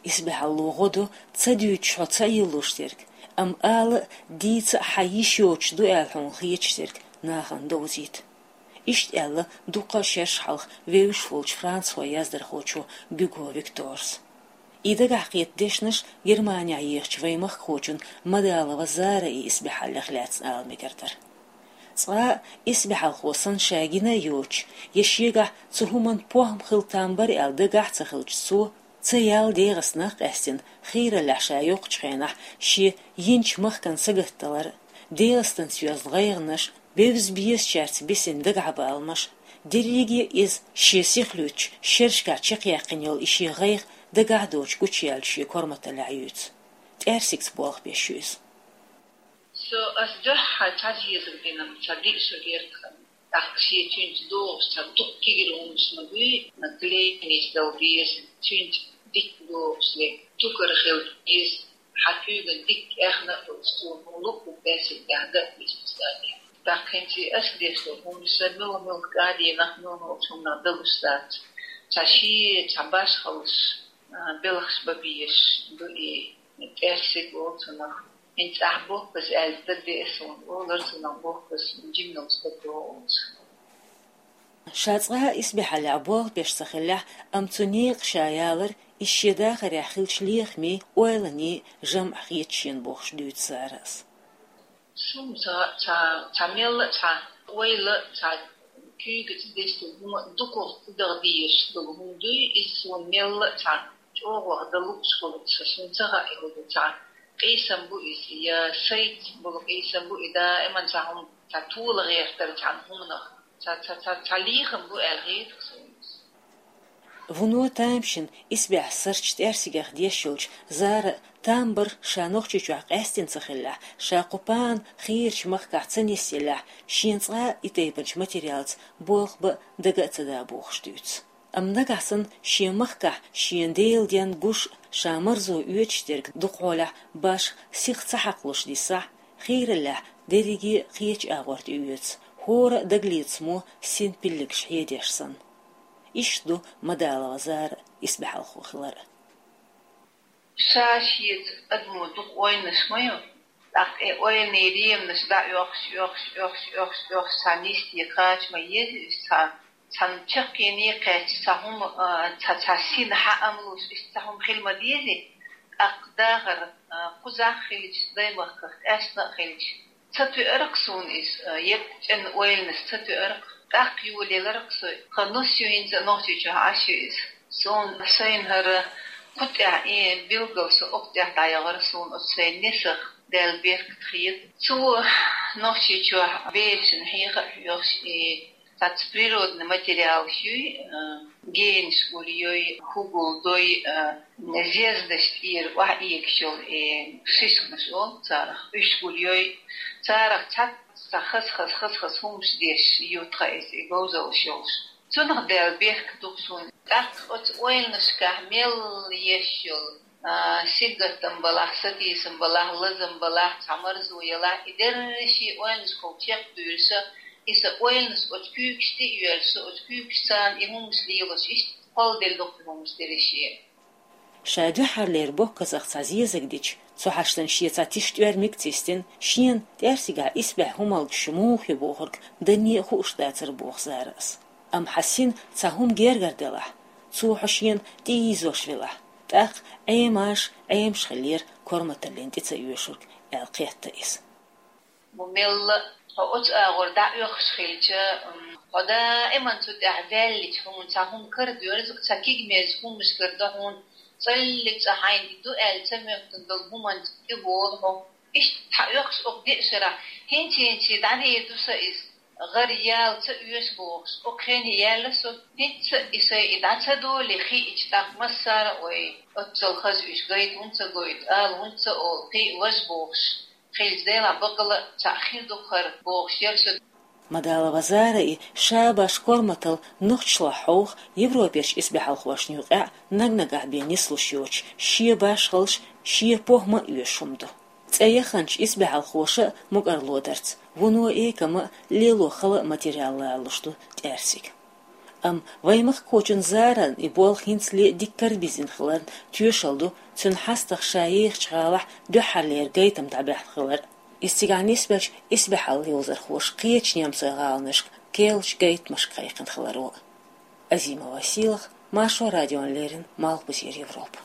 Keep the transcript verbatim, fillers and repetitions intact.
Исбаьхьалло гӀо ду, ца дуьйцуш хьо ца йиллуш дерг, амма ала а, дийца а хьан йиш йоцуш ду аьлла хьуна хеташ дерг нахана довзийта. Иштта аьлла дукха шераш хьалха вевзаш волчу францхойн яздархочо Гюго Викторс. И дагахь кхета дешнаш Германехь ехачу вайн махкахочун Мадалова Зараи исбаьхьаллех лаьцна ала мегар дара. Цкъа а исбаьхьалхо санна ша гина а йоцуш, я шегахь цу хӀуманна похӀма хила там бара аьлла дагахь а ца хилча, цо ца яьлла ДегӀастанах къаьстина, хийраллехь ша йоккхучу хенахь шен йинчу махкан сагатдалар а, ДегӀастанца йоьзна гӀайгӀанаш, бевза-безачаьрца бисина дагахьбаламаш, дерриге а иза шен сихлуьйчу шерашкахь чекхъяьккхина йолу и шен гӀайгӀа дагахь а доцуш гучуяьллачу шен корматаллехь юьйцу. ТӀаьрсигца болх беш ю иза. Со ас дуьххьара цхьа зезаг дина, цхьа диъ шо герга ханна. ТӀаккха шен цуьнца догӀуш цхьа дукха кегира хӀуманаш ма дуй, наклейкаш дала деза, цуьнца дика догӀуш ле, тукар хила деза, хьан куьйган дика эхна а долуш, цо хӀума луъург баьссина тӀехь дан а беза цу стадехь. ТӀаккха хӀинца ас деш долу хӀуманаш сан муьлха-муьлха кӀадийнах, муьлха-муьлхачу хӀуманах далуш дац. Цхьа шен, цхьа башхаллаш, а, белхаш бан безаш ду и тӀаьрсиг олу цунах. ХӀинца ахь бохкас аьлла дагадеа суна, олура цунах бохкас, жиманал стаг догӀу олуш. Ша цкъа а исбаьхьаллехь болх беш ца хиллехь, амма цу некъа ша ялар, иза шен дахарехь хиллачу лехамийн, ойланийн жамӀ хета шена бохуш дуьйцу Зарас. Суна ца, ца, ца мелла а, ца ойла а, ца куьйгаца дестина хӀума дукхах ца даха дезаш долу хӀума дуй, иза суна мелла а ца чӀогӀах дан лууш хуьлу, сан суна ца хаьа хӀун ду ца. Къийсам бу иза, я сайца болу къийсам бу и даиман цхьа хӀума, цхьа тола гӀертар цхьана хӀуманах, цхьа, цхьа, цхьа, цхьа лехам бу аьлла хета суна иза. Вуно тамашийна исбаьхьа сарчу тӀаьрсигах деш йолчу Зара там бар ша Нохчийчохь къаьстина ца хиллехь, ша кху пана хийрачу махкахь ца нисъеллехь, шена цкъа а и тайпанчу материалца болх бан дага а ца да бохуш дуьйцу. Амма нагахь санна шен махкахь шена Делан денна гуш а, ша марзо оьцуш дерг дукхахьолехь башха сиха ца хьакхалуш диссахь, хийраллехь дерриге а кхечу агӀор тӀеоьцу, хӀора а дагалецамо син пиллигаш хьедеш санна. Иштта ду Мадалова Зара исбаьхьалхо хилар а. Ша шеца адамо дукха ойланаш ма ю, тӀаккха и ойланийн реманаш дӀаоьхуш, оьхуш, оьхуш, оьхуш, оьхуш, цхьа нисде кхача ма еза иза цхьа, цхьана чаккхене кхаьчча, цхьа хӀума, а, цхьа, цхьа сина хьаъам луш, иштта цхьа хӀума хила ма дезий, тӀаккха дахар, а, кхузахь а хилча, даймахках къаьстина а хилча, ца тоьар-кх суна иза, а, егга чӀен ойланаш ца тоьар-кх, тӀаккха йолаелар-кх со, тхан нус ю хӀинца а Нохчийчохь Ӏаш ю иза. Суна сайна хӀара кху тӀехь и билггал со окху тӀехь дӀаяхара суна оцу сайн несах Дала беркат хета. Цо Нохчийчохь берашна хьеха а хьоьхуш и цхьацца природный материалаш юй, а, генаш гулйой, хӀу гулдой, а, зездаш тӀера охьаэгаш йолу и шишканаш олу царах, уьш гулйой, царах цхьацца хаза-хаза, хаза-хаза хӀуманаш деш ю тхан иза и говзаллаш йолуш. Цунах Дала беркат духу суна. ТӀаккха оцу ойланашкахь мелла еш йолу, а, сингаттам балахь, сатийсам балахь, лазам балахь, цхьа марзо ялахь, и дерриш а ойланашкахь чекхдуьйлуш, и сан ойланаш оцу куьйгаш тӀе а йоьллуш, со оцу куьйгашца и хӀуманаш лелош, иштта кхолладелла ду-кх и хӀуманаш дерриш а. Ша дуьххьарлера боккхазах цхьа зезаг дича, цу хьаштана шен цхьа тиша тӀоьрмиг а ца йистина, шена тӀаьрсигахь исбаьхьа хӀумалгаш муха ю бохург данне а хууш дацара боху Зарас. Амма хьан сина цхьа хӀума гергара делахь, цо хьо шена тӀеийзош велахь, тӀаккха Ӏемаш, Ӏемаш хиллера корматаллина тӀе ца оьшург, аьлла кхетта иза. Бу мелла а хьо оцу агӀор дӀаоьхуш хилча, м, хьо даиман цу тӀехь ваьллича, хьуна цхьа хӀума карадоьрзу, цхьа кигмеза хӀуманаш карадо хьуна, цӀаллиг цӀа хьайна и ду аьлла ца моьттун долу хӀуманца тӀе волу хьо. Иштта хьан оьхуш окху деа шарахь, хӀинца-хӀинца дӀадийр ду сан иза, гӀар яла ца оьшу бохуш, окху хене яьлла со, хӀинца и сайн и дӀа ца долий хиъча, тӀаккха массара а вай, оццал хаза уьш гайта хӀунда ца гойту, ала хӀунда ца олу, кхин а важа бохуш. Хилча делахь бакъала а цхьаъ хир ду-кх хӀара бохуш яра со. Мадалова Зара и ша баш корматалла нохчашлахь хьовха Европерчу исбаьхьалхошна юкъахь наг-нагахь бен нислуш йоцуш, шен башхаллаш, шен похӀма а оьшуш хӀума ду. ЦӀе яханчу исбаьхьалхоша а мукӀарло дарца, вуно экама а лело хала а материал лалуш ду тӀаьрсиг. Амма вай мехкахочун зарарна и болх хӀинцале дикка бизина хиларна тоьшалла ду цуьнан хьастах ша ехачу гӀалахь дуьххьарлера гайтам дӀабаьхьна хилар. Иза цигахь нисбелча исбаьхьалла йовзархоша кхечу немцойн гӀаланашка керлачу гайтамашка кхайкхина хиларо. Азимова Сийлаха, Маршо радиона леррина, Малхбузера Европа.